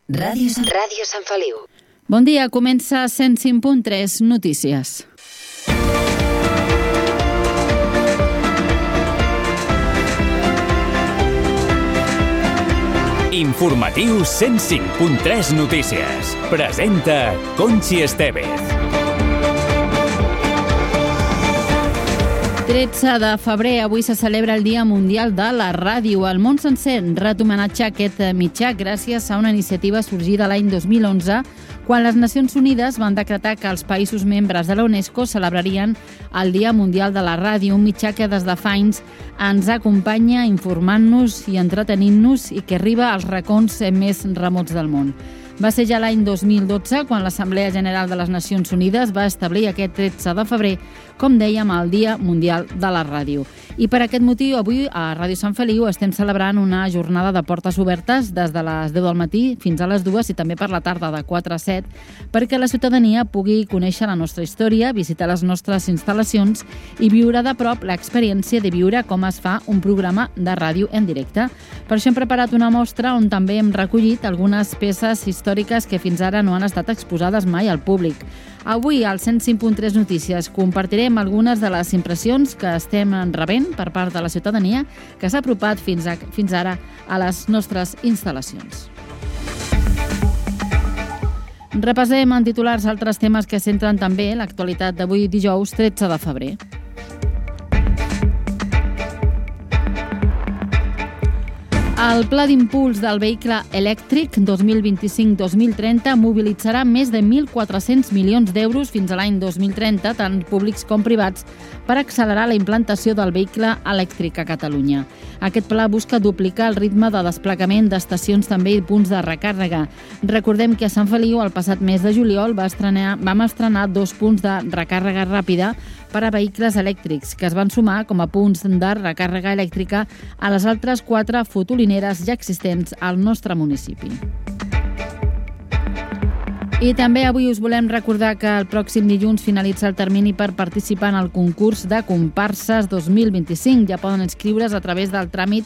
Ràdio Sant Feliu. Bon dia, comença 105.3 Notícies. Informatiu 105.3 Notícies. Presenta Conxi Estevez. 13 de febrer, avui se celebra el Dia Mundial de la Ràdio. El món sencer ret homenatge a aquest mitjà gràcies a una iniciativa sorgida l'any 2011, quan les Nacions Unides van decretar que els països membres de la UNESCO celebrarien el Dia Mundial de la Ràdio, un mitjà que des de fa anys ens acompanya informant-nos i entretenint-nos i que arriba als racons més remots del món. Va ser ja l'any 2012 quan l'Assemblea General de les Nacions Unides va establir aquest 13 de febrer, com dèiem, el Dia Mundial de la Ràdio. I per aquest motiu, avui a Ràdio Sant Feliu estem celebrant una jornada de portes obertes des de les 10 del matí fins a les 2 i també per la tarda de 4 a 7, perquè la ciutadania pugui conèixer la nostra història, visitar les nostres instal·lacions i viure de prop l'experiència de viure com es fa un programa de ràdio en directe. Per això hem preparat una mostra on també hem recollit algunes peces històriques que fins ara no han estat exposades mai al públic. Avui, al 105.3 Notícies, compartirem algunes de les impressions que estem rebent per part de la ciutadania que s'ha apropat fins ara a les nostres instal·lacions. Repassem en titulars altres temes que centren també l'actualitat d'avui dijous 13 de febrer. El Pla d'Impuls del Vehicle Elèctric 2025-2030 mobilitzarà més de 1.400 milions d'euros fins a l'any 2030, tant públics com privats, per accelerar la implantació del vehicle elèctric a Catalunya. Aquest pla busca duplicar el ritme de desplegament d'estacions també i punts de recàrrega. Recordem que a Sant Feliu, el passat mes de juliol, vam estrenar 2 punts de recàrrega ràpida per a vehicles elèctrics, que es van sumar com a punts de recàrrega elèctrica a les altres 4 fotolineres ja existents al nostre municipi. I també avui us volem recordar que el pròxim dilluns finalitza el termini per participar en el concurs de comparses 2025. Ja poden inscriure's a través del tràmit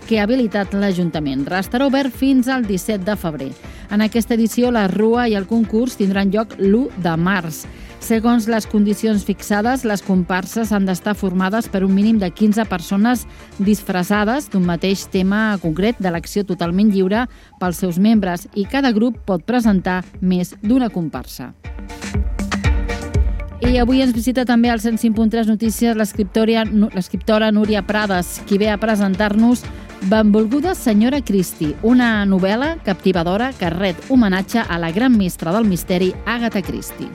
que ha habilitat l'Ajuntament. Restarà obert fins al 17 de febrer. En aquesta edició, la rua i el concurs tindran lloc l'1 de març. Segons les condicions fixades, les comparses han d'estar formades per un mínim de 15 persones disfressades d'un mateix tema concret d'elecció totalment lliure pels seus membres i cada grup pot presentar més d'una comparsa. I avui ens visita també al 105.3 Notícies l'escriptora Núria Prades, qui ve a presentar-nos Benvolguda senyora Christie, una novel·la captivadora que ret homenatge a la gran mestra del misteri Agatha Christie.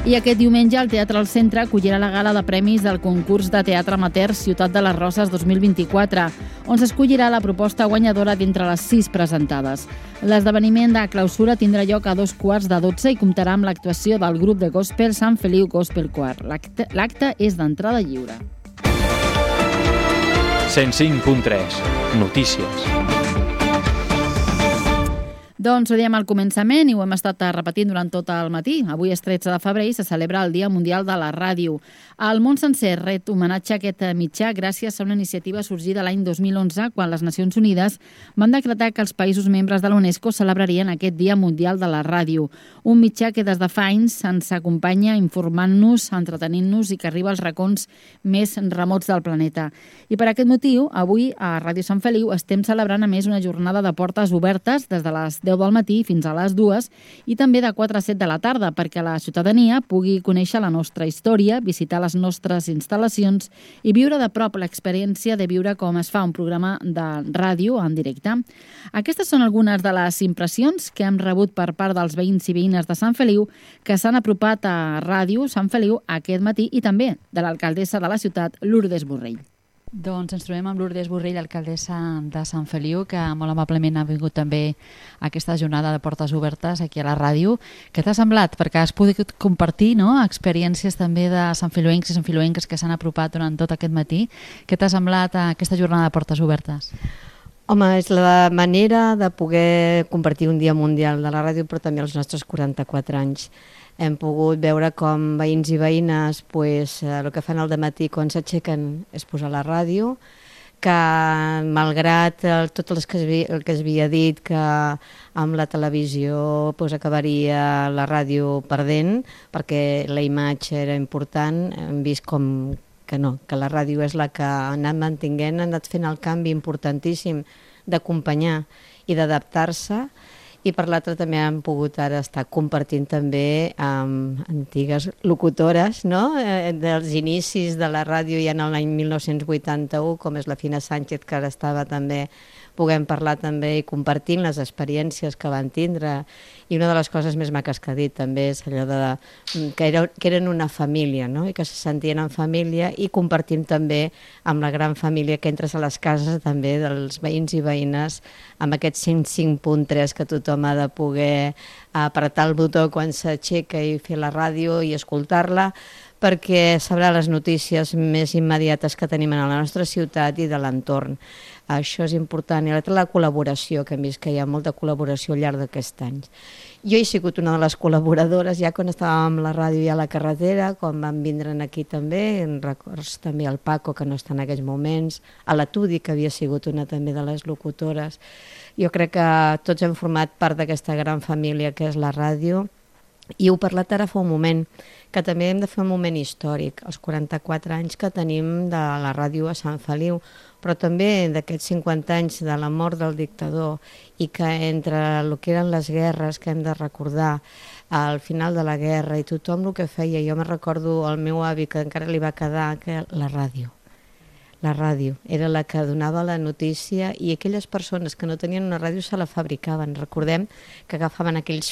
I aquest diumenge el Teatre al Centre acollirà la gala de premis del concurs de teatre amateur Ciutat de les Roses 2024, on s'escollirà la proposta guanyadora d'entre les 6 presentades. L'esdeveniment de clausura tindrà lloc a 11:45 i comptarà amb l'actuació del grup de gospel Sant Feliu Gospel Choir. L'acte és d'entrada lliure. 105.3 Notícies. Doncs ho dèiem al començament i ho hem estat repetint durant tot el matí. Avui és 13 de febrer i se celebra el Dia Mundial de la Ràdio. El món sencer ret homenatge a aquest mitjà gràcies a una iniciativa sorgida l'any 2011 quan les Nacions Unides van decretar que els països membres de la UNESCO celebrarien aquest Dia Mundial de la Ràdio. Un mitjà que des de fa anys ens acompanya informant-nos, entretenint-nos i que arriba als racons més remots del planeta. I per aquest motiu, avui a Ràdio Sant Feliu estem celebrant a més una jornada de portes obertes des de les 10 del matí fins a les 2 i també de 4 a 7 de la tarda perquè la ciutadania pugui conèixer la nostra història, visitar les nostres instal·lacions i viure de prop l'experiència de viure com es fa un programa de ràdio en directe. Aquestes són algunes de les impressions que hem rebut per part dels veïns i veïnes de Sant Feliu que s'han apropat a Ràdio Sant Feliu aquest matí i també de l'alcaldessa de la ciutat, Lourdes Borrell. Doncs ens trobem amb Lourdes Borrell, alcaldessa de Sant Feliu, que molt amablement ha vingut també a aquesta jornada de portes obertes aquí a la ràdio. Què t'ha semblat? Perquè has pogut compartir, no?, experiències també de santfeliuencs i santfeliuenques que s'han apropat durant tot aquest matí. Què t'ha semblat aquesta jornada de portes obertes? Home, és la manera de poder compartir un dia mundial de la ràdio, però també els nostres 44 anys. Hem pogut veure com veïns i veïnes el que fan al dematí quan s'aixequen és posar la ràdio, que malgrat tot el que es havia dit que amb la televisió acabaria la ràdio perdent perquè la imatge era important, hem vist com que no, que la ràdio és la que ha anat mantinguent, ha anat fent el canvi importantíssim d'acompanyar i d'adaptar-se, i per l'altre també hem pogut ara estar compartint també amb antigues locutores, no? Dels inicis de la ràdio ja en l'any 1981, com és la Fina Sánchez, que ara estava també, puguem parlar també i compartint les experiències que van tindre. I una de les coses més maques que ha dit també és allò que eren una família, no? I que se sentien en família, i compartim també amb la gran família que entres a les cases també dels veïns i veïnes amb aquest 105.3 que tothom ha de poder apretar el botó quan s'aixeca i fer la ràdio i escoltar-la, perquè sabrà les notícies més immediates que tenim a la nostra ciutat i de l'entorn. Això és important. I l'altra, la col·laboració, que hem vist que hi ha molta col·laboració al llarg d'aquests anys. Jo he sigut una de les col·laboradores ja quan estàvem a la ràdio i a la carretera, quan van vindre aquí també, en records també al Paco, que no està en aquests moments, a la Tudi, que havia sigut una també de les locutores. Jo crec que tots hem format part d'aquesta gran família que és la ràdio, i heu parlat ara fa un moment, que també hem de fer un moment històric, els 44 anys que tenim de la ràdio a Sant Feliu, però també d'aquests 50 anys de la mort del dictador, i que entre el que eren les guerres que hem de recordar al final de la guerra i tothom el que feia, jo me recordo el meu avi que encara li va quedar que la ràdio era la que donava la notícia, i aquelles persones que no tenien una ràdio se la fabricaven. Recordem que agafaven aquells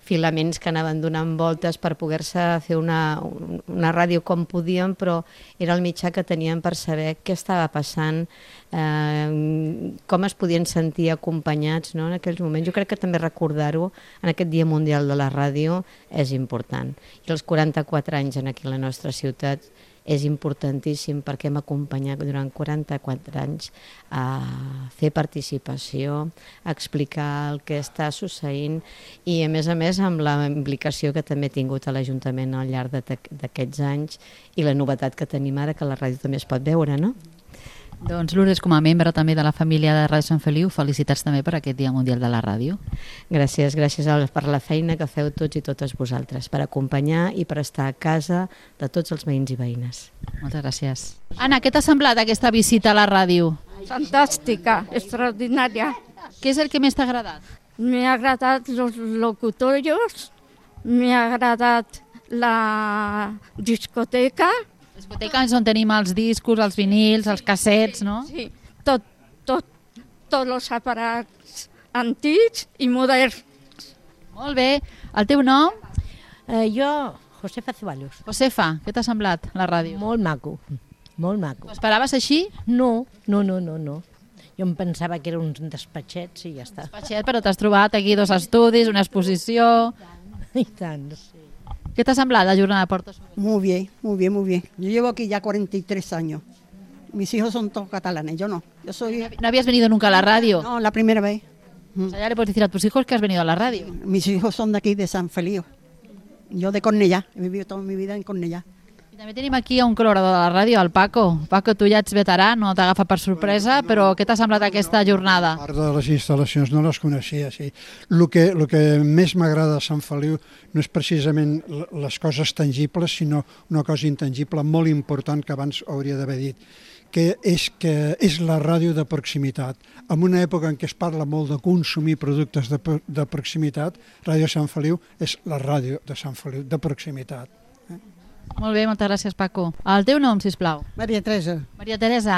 filaments que anaven donant voltes per poder-se fer una ràdio com podien, però era el mitjà que tenien per saber què estava passant, com es podien sentir acompanyats, no, en aquells moments. Jo crec que també recordar-ho en aquest Dia Mundial de la Ràdio és important. I els 44 anys aquí a la nostra ciutat és importantíssim, perquè hem acompanyat durant 44 anys a fer participació, a explicar el que està succeint, i a més amb la implicació que també ha tingut a l'Ajuntament al llarg d'aquests anys, i la novetat que tenim ara, que la ràdio també es pot veure, no? Doncs Lourdes, com a membre també de la família de Ràdio Sant Feliu, felicitats també per aquest Dia Mundial de la Ràdio. Gràcies per la feina que feu tots i totes vosaltres, per acompanyar i per estar a casa de tots els veïns i veïnes. Moltes gràcies. Anna, què t'ha semblat aquesta visita a la ràdio? Fantástica, extraordinaria. Què és el que més t'ha agradat? Me ha agradat los locutorios, me ha agradat la discoteca. La discoteca és on tenim els discos, els vinils, els cassets, no? Sí, tots els aparats antics i moderns. Molt bé. El teu nom? Jo, Josefa Ceballos. Josefa, què t'ha semblat la ràdio? Molt maco, molt maco. Ho esperaves així? No. Jo em pensava que era uns despatxets i ja està. Despatxet, però t'has trobat aquí 2 estudis, una exposició... I tant, sí. ¿Qué te ha sembrado la jornada de Porto Suber? Muy bien, muy bien, muy bien. Yo llevo aquí ya 43 años. Mis hijos son todos catalanes, yo no. Yo soy... ¿No habías venido nunca a la radio? No, la primera vez. O sea, ya le puedes decir a tus hijos que has venido a la radio. Mis hijos son de aquí, de San Feliu. Yo de Cornellà, he vivido toda mi vida en Cornellà. I també tenim aquí un col·laborador de la ràdio, el Paco. Paco, tu ja ets veterà, no t'agafa per sorpresa, però què t'ha semblat aquesta jornada? Part de les instal·lacions no les coneixia, sí. El que més m'agrada a Sant Feliu no és precisament les coses tangibles, sinó una cosa intangible molt important que abans hauria d'haver dit, que és la ràdio de proximitat. En una època en què es parla molt de consumir productes de proximitat, Ràdio Sant Feliu és la ràdio de Sant Feliu, de proximitat. Molt bé, moltes gràcies, Paco. El teu nom, sisplau? Maria Teresa. Maria Teresa,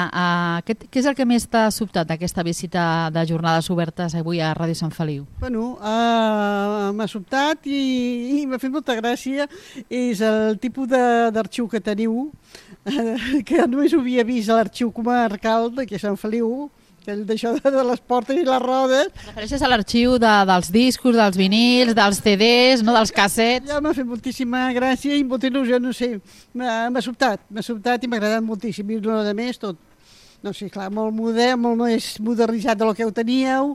què és el que més t'ha sobtat d'aquesta visita de jornades obertes avui a Ràdio Sant Feliu? Bueno, m'ha sobtat i m'ha fet molta gràcia. És el tipus d'arxiu que teniu, que només ho havia vist a l'arxiu comarcal d'aquí a Sant Feliu, d'això de les portes i les rodes. Refereixes a l'arxiu dels discos, dels vinils, dels CDs, no dels cassets? Ja m'ha fet moltíssima gràcia i molta il·lusió, no sé, m'ha sobtat i m'ha agradat moltíssim. I a més tot, no sé, clar, molt modern, molt més modernitzat del que ho teníeu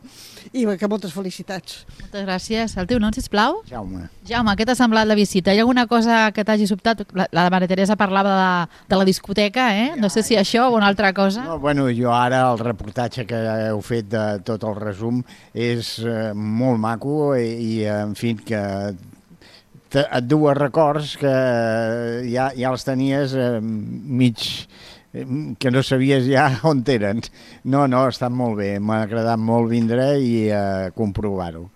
i que moltes felicitats. Moltes gràcies. El teu nom, sisplau? Jaume. Jaume, què t'ha semblat la visita? Hi ha alguna cosa que t'hagi sobtat? La Maria Teresa parlava de la discoteca, No sé si això o una altra cosa. No, bueno, jo ara el reportatge que heu fet de tot el resum és molt maco i en fi, que et du a records que ja els tenies mig, que no sabies ja on eren. No, ha estat molt bé, m'ha agradat molt vindre i comprovar-ho.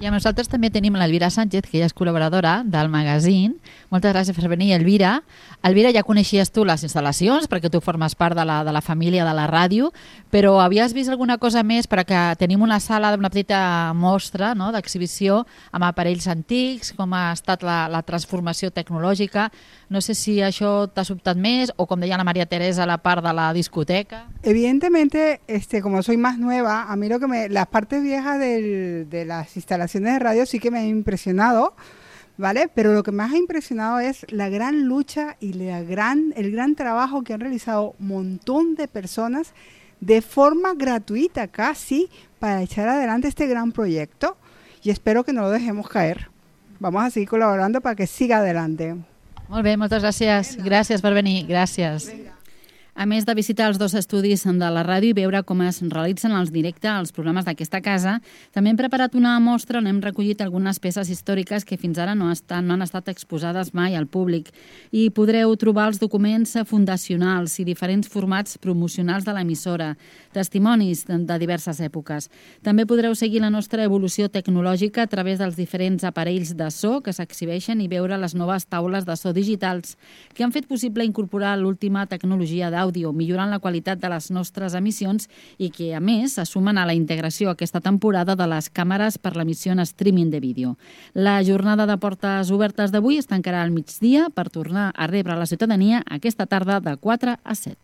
I amb nosaltres també tenim l'Elvira Sánchez, que ella és col·laboradora del magazín. Moltes gràcies per venir, Elvira. Elvira, ja coneixies tu les instal·lacions, perquè tu formes part de la família de la ràdio, però havies vist alguna cosa més? Perquè tenim una sala d'una petita mostra, d'exhibició amb aparells antics, com ha estat la transformació tecnològica. No sé si això t'ha sobtat més, o com deia la Maria Teresa, la part de la discoteca. Evidentemente, como soy más nueva, a mí las partes viejas de las instalaciones de radio sí que me ha impresionado, ¿vale? Pero lo que más ha impresionado es la gran lucha y el gran trabajo que han realizado un montón de personas de forma gratuita casi para echar adelante este gran proyecto, y espero que no lo dejemos caer. Vamos a seguir colaborando para que siga adelante. Molt bé, moltes gràcies. Gràcies per venir, gràcies. A més de visitar els 2 estudis de la ràdio i veure com es realitzen els directes als programes d'aquesta casa, també hem preparat una mostra on hem recollit algunes peces històriques que fins ara no han estat exposades mai al públic, i podreu trobar els documents fundacionals i diferents formats promocionals de l'emissora, testimonis de diverses èpoques. També podreu seguir la nostra evolució tecnològica a través dels diferents aparells de so que s'exhibeixen i veure les noves taules de so digitals que han fet possible incorporar l'última tecnologia d'àudio, millorant la qualitat de les nostres emissions i que, a més, se sumen a la integració aquesta temporada de les càmeres per l'emissió en streaming de vídeo. La jornada de portes obertes d'avui es tancarà al migdia per tornar a rebre la ciutadania aquesta tarda de 4 a 7.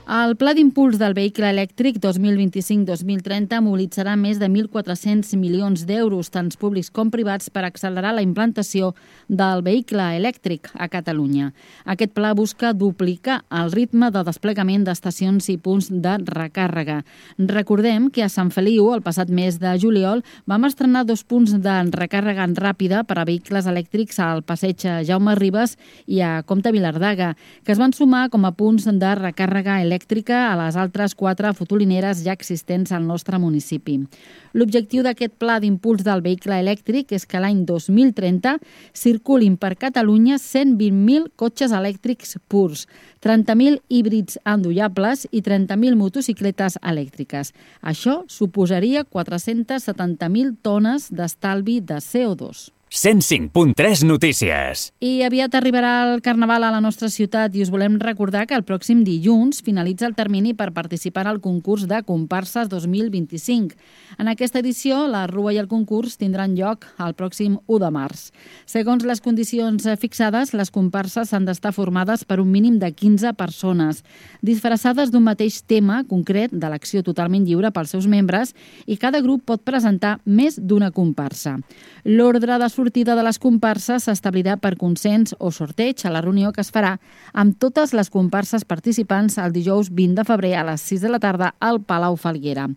El Pla d'Impuls del Vehicle Elèctric 2025-2030 mobilitzarà més de 1.400 milions d'euros, tant públics com privats, per accelerar la implantació del vehicle elèctric a Catalunya. Aquest pla busca duplicar el ritme de desplegament d'estacions i punts de recàrrega. Recordem que a Sant Feliu, el passat mes de juliol, vam estrenar 2 punts de recàrrega ràpida per a vehicles elèctrics al passeig Jaume Ribes i a Comte Vilardaga, que es van sumar com a punts de recàrrega elèctrica a les altres 4 fotolineres ja existents al nostre municipi. L'objectiu d'aquest pla d'impuls del vehicle elèctric és que l'any 2030 circulin per Catalunya 120.000 cotxes elèctrics purs, 30.000 híbrids endollables i 30.000 motocicletes elèctriques. Això suposaria 470.000 tones d'estalvi de CO2. 105.3 Notícies. I aviat arribarà el Carnaval a la nostra ciutat i us volem recordar que el pròxim dilluns finalitza el termini per participar al concurs de comparses 2025. En aquesta edició, la rua i el concurs tindran lloc el pròxim 1 de març. Segons les condicions fixades, les comparses han d'estar formades per un mínim de 15 persones, disfressades d'un mateix tema concret de l'acció totalment lliure pels seus membres, i cada grup pot presentar més d'una comparsa. L'ordre de sortida de les comparses s'establirà per consens o sorteig a la reunió que es farà amb totes les comparses participants el dijous 20 de febrer a les 6 de la tarda al Palau Falguera.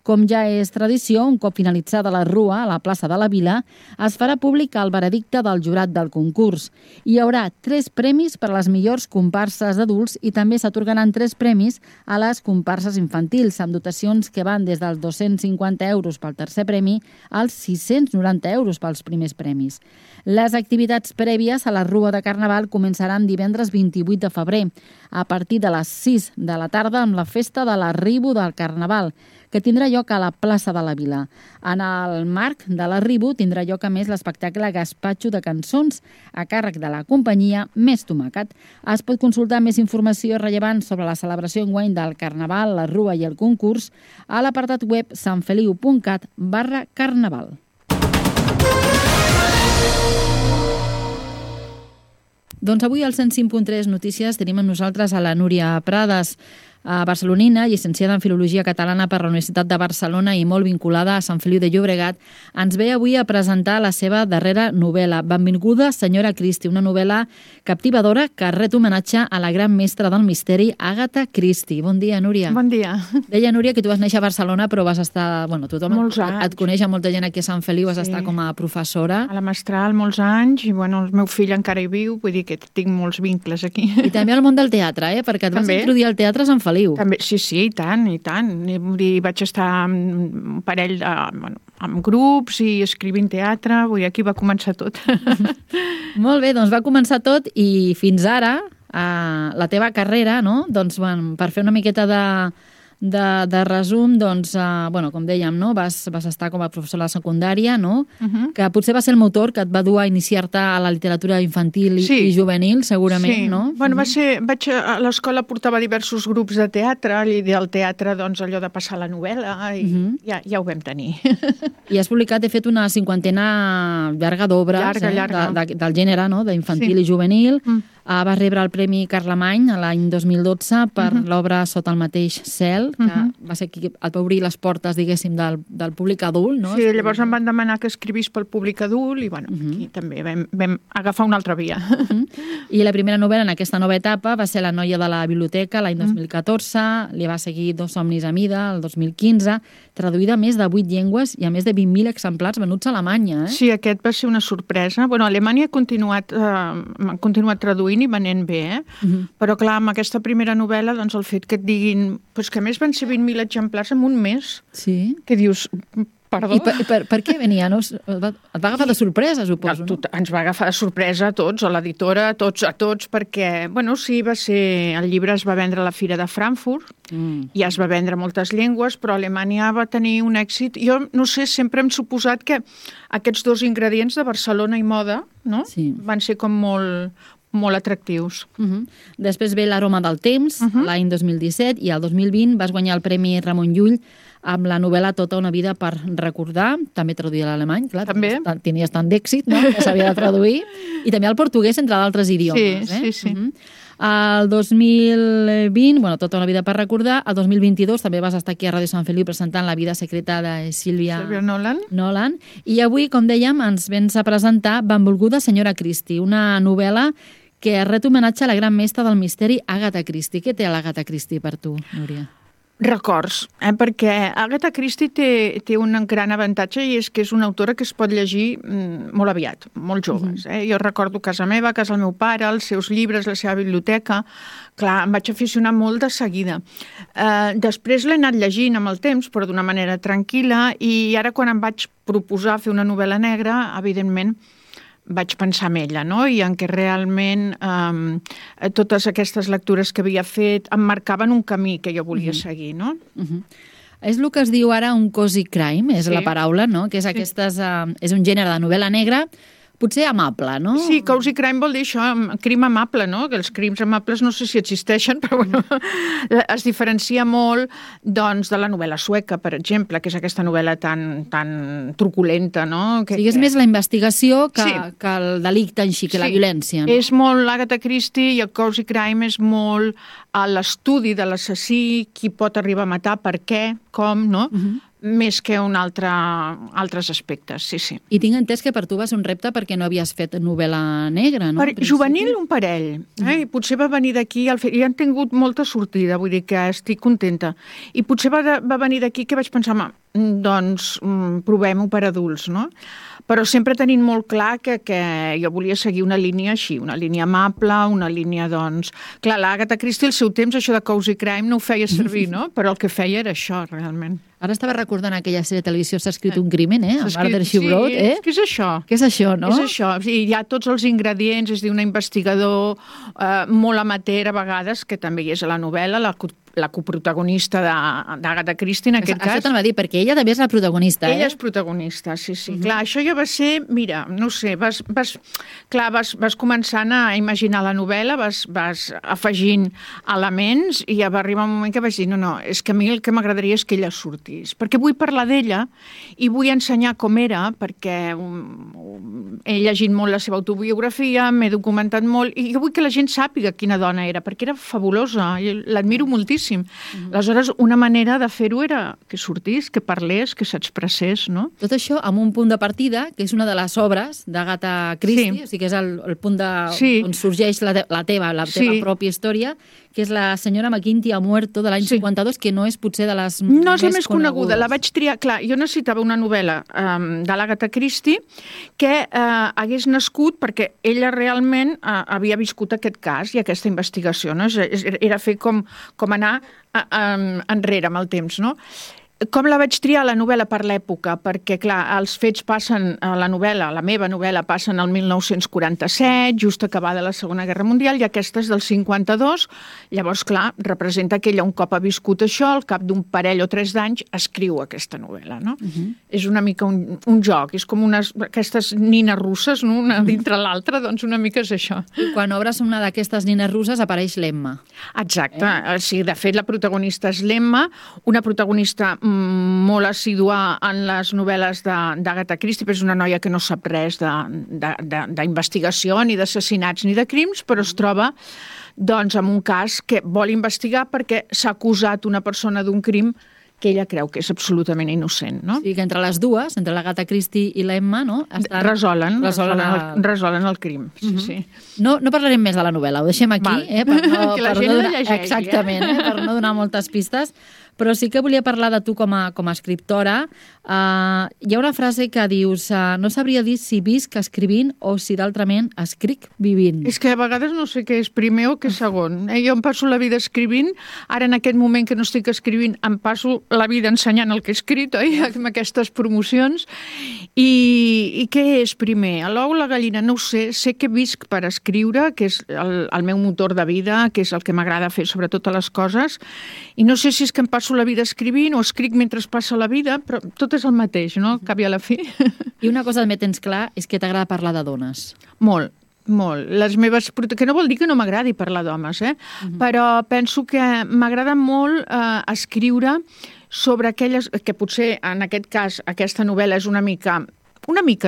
Com ja és tradició, un cop finalitzada la rua a la plaça de la Vila, es farà públic el veredicte del jurat del concurs. Hi haurà 3 premis per a les millors comparses d'adults i també s'atorgaran 3 premis a les comparses infantils, amb dotacions que van des dels 250 euros pel tercer premi als 690 euros pels primers premis. Les activitats prèvies a la rua de Carnaval començaran divendres 28 de febrer, a partir de les 6 de la tarda amb la festa de l'arribo del Carnaval, que tindrà lloc a la plaça de la Vila. En el marc de l'arribo tindrà lloc a més l'espectacle Gaspatxo de cançons a càrrec de la companyia Més Tomàquet. Es pot consultar més informació rellevant sobre la celebració enguany del Carnaval, la rua i el concurs a l'apartat web sanfeliu.cat/carnaval. Doncs avui al 105.3 Notícies tenim amb nosaltres a la Núria Prades. barcelonina, llicenciada en Filologia Catalana per la Universitat de Barcelona i molt vinculada a Sant Feliu de Llobregat, ens ve avui a presentar la seva darrera novel·la, Benvinguda, senyora Christie, una novel·la captivadora que ret homenatge a la gran mestra del misteri, Agatha Christie. Bon dia, Núria. Bon dia. Deia, Núria, que tu vas néixer a Barcelona, però vas estar... Bueno, tothom et coneix, molta gent aquí a Sant Feliu, vas estar com a professora. A la Mestral molts anys, i bueno, el meu fill encara hi viu, vull dir que tinc molts vincles aquí. I també al món del teatre, perquè et vas introduir al teatre a Sant Feliu. També, sí, i tant, i tant. Vaig estar amb un parell amb grups i escrivint teatre, vull dir, aquí va començar tot. Molt bé, doncs va començar tot i fins ara, la teva carrera, no? Doncs, per fer una miqueta de resum, doncs, com dèiem, no? Vas estar com a professora de secundària, no? Que potser va ser el motor que et va dur a iniciar-te a la literatura infantil i juvenil, segurament, no? Bueno, vaig a l'escola, portava diversos grups de teatre, i del teatre, doncs, allò de passar la novel·la, i ja ho vam tenir. I has publicat, he fet una 50 llarga d'obres del gènere, no? D'infantil i juvenil. Vas rebre el Premi Carlemany l'any 2012 per l'obra Sota el mateix cel, que va ser qui et va obrir les portes, diguéssim, del públic adult, no? Sí, llavors em van demanar que escrivís pel públic adult i, bueno, aquí també vam agafar una altra via. I la primera novel·la en aquesta nova etapa va ser La noia de la biblioteca, l'any 2014, li va seguir Dos somnis a mida, el 2015, traduïda a més de 8 llengües i a més de 20.000 exemplars venuts a Alemanya, Sí, aquest va ser una sorpresa. Bueno, a Alemanya ha continuat traduint i venent bé, però clar, amb aquesta primera novel·la, doncs el fet que et diguin que a més van ser 20.000 exemplars en un mes, que dius, perdó. I per què venia? Et va agafar de sorpresa, suposo, no? Ens va agafar de sorpresa a tots, a l'editora, a tots, perquè, bueno, sí, el llibre es va vendre a la Fira de Frankfurt, i es va vendre moltes llengües, però Alemanya va tenir un èxit. Jo, no sé, sempre hem suposat que aquests dos ingredients de Barcelona i moda, no? Van ser com molt atractius. Després ve L'aroma del temps, l'any 2017, i el 2020 vas guanyar el Premi Ramon Llull amb la novel·la Tota una vida per recordar, també traduïda a l'alemany, clar, tenies tant d'èxit, no?, que s'havia de traduir, i també al portuguès, entre d'altres idiomes. Sí. El 2020, Tota una vida per recordar, el 2022 també vas estar aquí a Ràdio Sant Feliu presentant La vida secreta de Sílvia Nolan, i avui, com dèiem, ens vens a presentar Benvolguda senyora Christie, una novel·la que ret homenatge a la gran mestra del misteri, Agatha Christie. Què té l'Agatha Christie per tu, Núria? Records, perquè Agatha Christie té un gran avantatge, i és que és una autora que es pot llegir molt aviat, molt joves. Jo recordo casa meva, casa del meu pare, els seus llibres, la seva biblioteca. Clar, em vaig aficionar molt de seguida. Després l'he anat llegint amb el temps, però d'una manera tranquil·la, i ara quan em vaig proposar fer una novel·la negra, evidentment, vaig pensar en ella, no? I en què realment totes aquestes lectures que havia fet em marcaven un camí que jo volia seguir, no? És el que es diu ara un cozy crime, és la paraula, no? Que és és un gènere de novel·la negra, potser amable, no? Sí, cozy crime vol dir això, crim amable, no? Que els crims amables no sé si existeixen, però bueno, es diferencia molt, doncs, de la novel·la sueca, per exemple, que és aquesta novel·la tan truculenta, no? És més la investigació que el delicte en si, que la violència. És molt l'Agatha Christie, i el cozy crime és molt l'estudi de l'assassí, qui pot arribar a matar, per què, com, no? Més que altres aspectes, sí. I tinc entès que per tu va ser un repte perquè no havies fet novel·la negra, no? Juvenil, un parell. I potser va venir d'aquí, i han tingut molta sortida, vull dir que estic contenta. I potser va venir d'aquí que vaig pensar, doncs provem-ho per adults, no? Però sempre tenint molt clar que jo volia seguir una línia així, una línia amable, una línia, doncs... Clar, l'Agatha Christie al seu temps, això de cozy crime, no ho feia servir, no? Però el que feia era això, realment. Ara estava recordant aquella sèrie de televisió S'ha escrit un crimen, amb Murder, She Wrote, Sí, què és això? Què és això, no? És això, hi ha tots els ingredients, és dir, un investigador molt amateur a vegades, que també hi és a la novel·la, la coprotagonista d'Agatha Christie, en aquest cas. Això te'n va dir, perquè ella també és la protagonista, Ella és protagonista, sí. Clar, això ja va ser, mira, no sé, vas començant a imaginar la novel·la, vas afegint elements, i ja va arribar un moment que vaig dir, no, és que a mi el que m'agradaria és que ella surti. sortís, perquè vull parlar d'ella i vull ensenyar com era, perquè he llegit molt la seva autobiografia, m'he documentat molt, i jo vull que la gent sàpiga quina dona era, perquè era fabulosa, l'admiro moltíssim. Aleshores, una manera de fer-ho era que sortís, que parlés, que s'expressés, no? Tot això amb un punt de partida, que és una de les obres d'Agatha Christie, o sigui que és el punt on sorgeix la teva pròpia història, que és La senyora McGinty ha muerto, de l'any 52, que no és potser de les no és la més coneguda. La vaig triar... Clar, jo necessitava una novel·la de l'Agatha Christie que hagués nascut perquè ella realment havia viscut aquest cas i aquesta investigació, no? Era fer com anar enrere amb el temps, no? Com la vaig triar, la novel·la, per l'època? Perquè, clar, els fets passen, la meva novel·la passa en el 1947, just acabada la Segona Guerra Mundial, i aquesta és del 52. Llavors, clar, representa que ella un cop ha viscut això, al cap d'un parell o 3 d'anys, escriu aquesta novel·la, no? És una mica un joc, és com aquestes nines russes, no? Una dintre l'altra, doncs una mica és això. I quan obres una d'aquestes nines russes apareix l'Emma. Exacte. Sí, de fet, la protagonista és l'Emma, una protagonista molt assídua en les novel·les d'Agatha Christie, però és una noia que no sap res d'investigació, ni d'assassinats, ni de crims, però es troba doncs, en un cas que vol investigar perquè s'ha acusat una persona d'un crim que ella creu que és absolutament innocent, no? Sí, que entre les dues, entre l'Agatha Christie i l'Emma, no? Resolen el crim, sí. No parlarem més de la novel·la, ho deixem aquí, per la gent la llegeixi. Exactament, per no donar moltes pistes, però sí que volia parlar de tu com a escriptora. Hi ha una frase que dius, no sabria dir si visc escrivint o si d'altrament escric vivint. És que a vegades no sé què és primer o què és segon. Jo em passo la vida escrivint, ara en aquest moment que no estic escrivint em passo la vida ensenyant el que he escrit, oi? Amb aquestes promocions. I què és primer? L'ou o la gallina? No ho sé. Sé que visc per escriure, que és el meu motor de vida, que és el que m'agrada fer sobre totes les coses, i no sé si és que em passo la vida escrivint o escric mentre es passa la vida, però tot és el mateix, no? Cap i a la fi. I una cosa també tens clar és que t'agrada parlar de dones. Molt. Les meves... Que no vol dir que no m'agradi parlar d'homes, però penso que m'agrada molt escriure sobre aquelles... que potser, en aquest cas, aquesta novel·la és una mica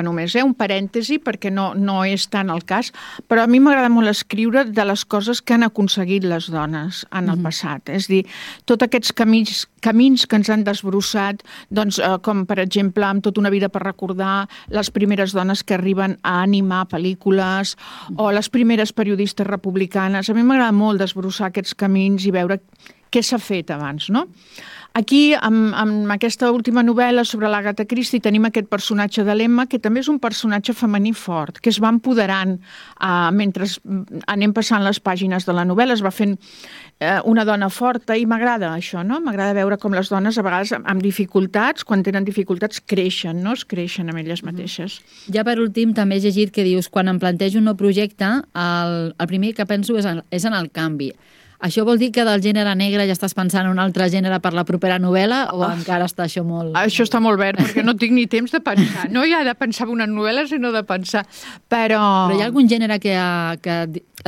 només, un parèntesi, perquè no és tant el cas, però a mi m'agrada molt escriure de les coses que han aconseguit les dones en el passat. És a dir, tots aquests camins que ens han desbrossat, doncs, com per exemple, amb tota una vida per recordar, les primeres dones que arriben a animar pel·lícules o les primeres periodistes republicanes. A mi m'agrada molt desbrossar aquests camins i veure què s'ha fet abans, no? Aquí, amb aquesta última novel·la sobre l'Agatha Christie, tenim aquest personatge de l'Emma, que també és un personatge femení fort, que es va empoderant mentre anem passant les pàgines de la novel·la, es va fent una dona forta, i m'agrada això, no? M'agrada veure com les dones, a vegades amb dificultats, quan tenen dificultats, creixen, no? Es creixen amb elles mateixes. Ja per últim, també he llegit que dius, quan em plantejo un nou projecte, el primer que penso és en el canvi. Això vol dir que del gènere negre ja estàs pensant en un altre gènere per la propera novel·la o encara està això molt... Això està molt verd, perquè no tinc ni temps de pensar. No hi ha de pensar en una novel·la, sinó de pensar. Però hi ha algun gènere que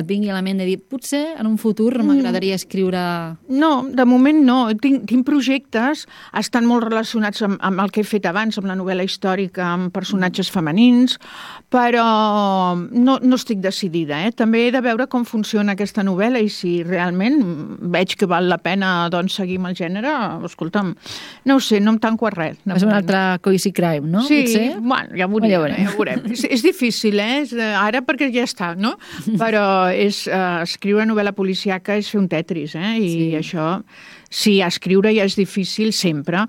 et vingui a la ment de dir potser en un futur m'agradaria escriure... No, de moment no. Tinc projectes, estan molt relacionats amb el que he fet abans, amb la novel·la històrica, amb personatges femenins, però no estic decidida. També he de veure com funciona aquesta novel·la i si realment veig que val la pena doncs, seguir amb el gènere, escolta'm, no ho sé, no em tanco a res. És un altre Cozy Crime, no? Sí, bueno, ja ho veurem. És difícil, ara perquè ja està, no? Però escriure novel·la policíaca és fer un Tetris, i això... Sí, escriure ja és difícil sempre.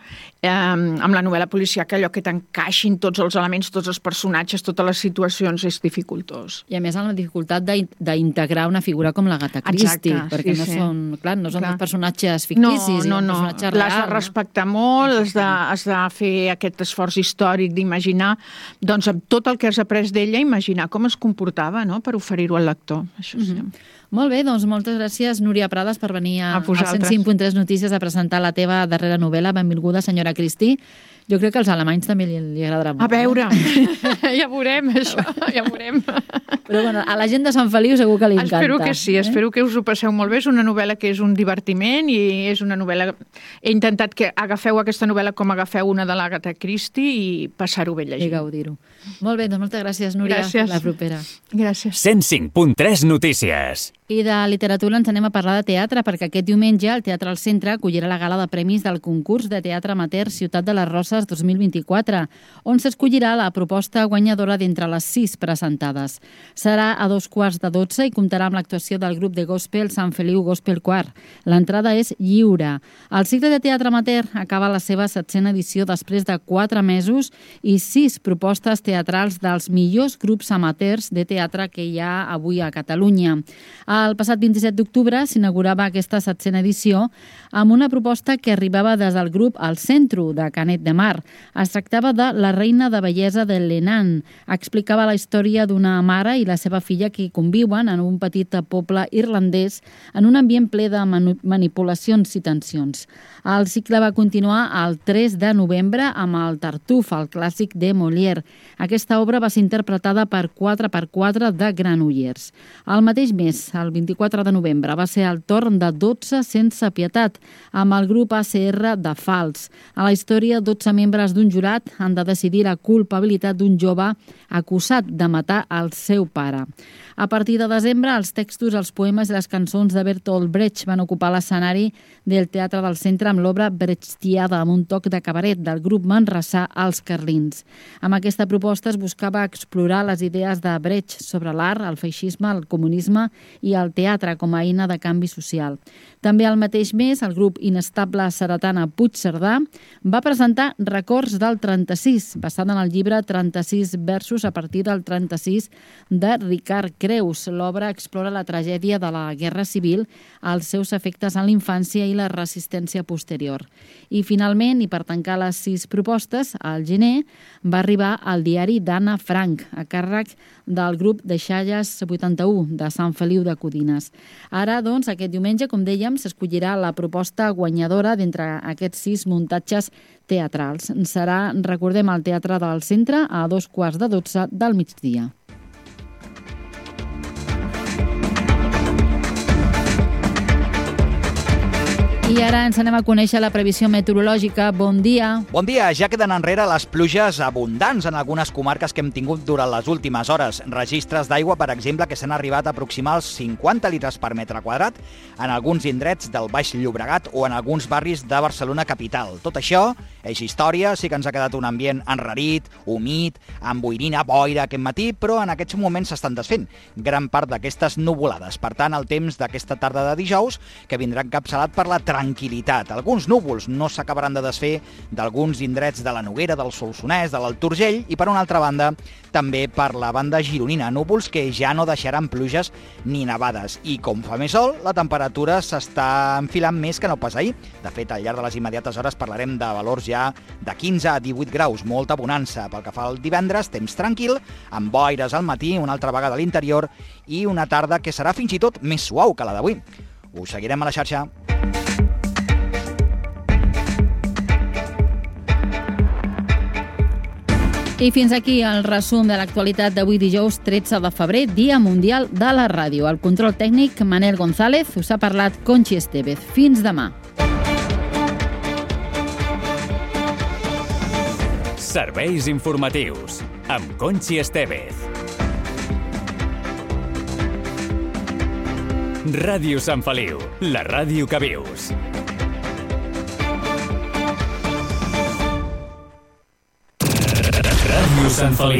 Amb la novel·la policíaca allò que t'encaixin tots els elements, tots els personatges, totes les situacions és dificultós. I a més amb la dificultat d'integrar una figura com l'Agatha Christie, perquè no són personatges ficticis, no. Personatges reals. L'has de respectar molt, has de fer aquest esforç històric d'imaginar, doncs amb tot el que has après d'ella, imaginar com es comportava, no?, per oferir-ho al lector. Això sí. Molt bé, doncs moltes gràcies, Núria Prades, per venir a 105.3 Notícies a presentar la teva darrera novel·la. Benvinguda, senyora Christie. Jo crec que als alemanys també li agradarà molt. A veure, ja veurem això, ja veurem. Però bueno, a la gent de Sant Feliu segur que li encanta. Espero que sí, espero que us ho passeu molt bé. És una novel·la que és un divertiment i és una novel·la... He intentat que agafeu aquesta novel·la com agafeu una de l'Agatha Christie i passar-ho bé llegint. I gaudir-ho. Molt bé, doncs moltes gràcies, Núria. Gràcies. La propera. Gràcies. 105.3 Notícies. I de literatura ens anem a parlar de teatre, perquè aquest diumenge el Teatre al Centre acollirà la gala de premis del concurs de teatre amateur Ciutat de les Roses 2024, on s'escollirà la proposta guanyadora d'entre les 6 presentades. Serà a 2:15 i comptarà amb l'actuació del grup de gospel Sant Feliu Gospel Choir. L'entrada és lliure. El cicle de teatre amateur acaba la seva 7a edició després de 4 mesos i 6 propostes teatrals dels millors grups amateurs de teatre que hi ha avui a Catalunya. El passat 27 d'octubre s'inaugurava aquesta 7a edició amb una proposta que arribava des del grup El Centro, de Canet de Mar. Es tractava de La reina de bellesa de Lenan. Explicava la història d'una mare i la seva filla que conviuen en un petit poble irlandès en un ambient ple de manipulacions i tensions. El cicle va continuar el 3 de novembre amb el Tartuf, el clàssic de Molière. Aquesta obra va ser interpretada per 4x4 de Granollers. El mateix mes, el 24 de novembre, va ser el torn de 12 sense pietat, amb el grup ACR de Fals. A la història, 12 membres d'un jurat han de decidir la culpabilitat d'un jove acusat de matar el seu pare. A partir de desembre, els textos, els poemes i les cançons de Bertolt Brecht van ocupar l'escenari del Teatre del Centre amb l'obra Brechtiada, amb un toc de cabaret del grup manressà Els Carlins. Amb aquesta proposta es buscava explorar les idees de Brecht sobre l'art, el feixisme, el comunisme i el teatre com a eina de canvi social. També al mateix mes, el grup inestable Saratana Puigcerdà va presentar Records del 36, basat en el llibre 36 versos a partir del 36 de Ricard Creus. L'obra explora la tragèdia de la Guerra Civil, els seus efectes en la infància i la resistència posterior. I finalment, i per tancar les 6 propostes, al gener va arribar el diari d'Anna Frank, a càrrec del grup de Xalles 81 de Sant Feliu de Codines. Ara, doncs, aquest diumenge, com dèiem, s'escollirà la proposta guanyadora d'entre aquests 6 muntatges teatrals. Serà, recordem, al Teatre del Centre a 2:15 del migdia. I ara ens anem a conèixer la previsió meteorològica. Bon dia. Bon dia. Ja queden enrere les pluges abundants en algunes comarques que hem tingut durant les últimes hores. Registres d'aigua, per exemple, que s'han arribat a aproximar els 50 litres per metre quadrat en alguns indrets del Baix Llobregat o en alguns barris de Barcelona capital. Tot això és història, sí que ens ha quedat un ambient enrarit, humit, amb boirina, boira aquest matí, però en aquests moments s'estan desfent gran part d'aquestes nuvolades. Per tant, el temps d'aquesta tarda de dijous, que vindrà encapçalat per la tranquil·litat. Alguns núvols no s'acabaran de desfer d'alguns indrets de la Noguera, del Solsonès, de l'Alt Urgell i, per una altra banda, també per la banda gironina. Núvols que ja no deixaran pluges ni nevades. I com fa més sol, la temperatura s'està enfilant més que no pas ahir. De fet, al llarg de les immediates hores parlarem de valors ja de 15 a 18 graus, molta bonança. Pel que fa al divendres, temps tranquil, amb boires al matí, una altra vegada a l'interior i una tarda que serà fins i tot més suau que la d'avui. Us seguirem a la xarxa. I fins aquí el resum de l'actualitat d'avui dijous 13 de febrer, Dia Mundial de la Ràdio. Al control tècnic, Manel González, us ha parlat Conxi Estevez. Fins demà. Serveis informatius amb Conxi Estevez. Ràdio Sant Feliu, la ràdio que vius. Ràdio Sant Feliu.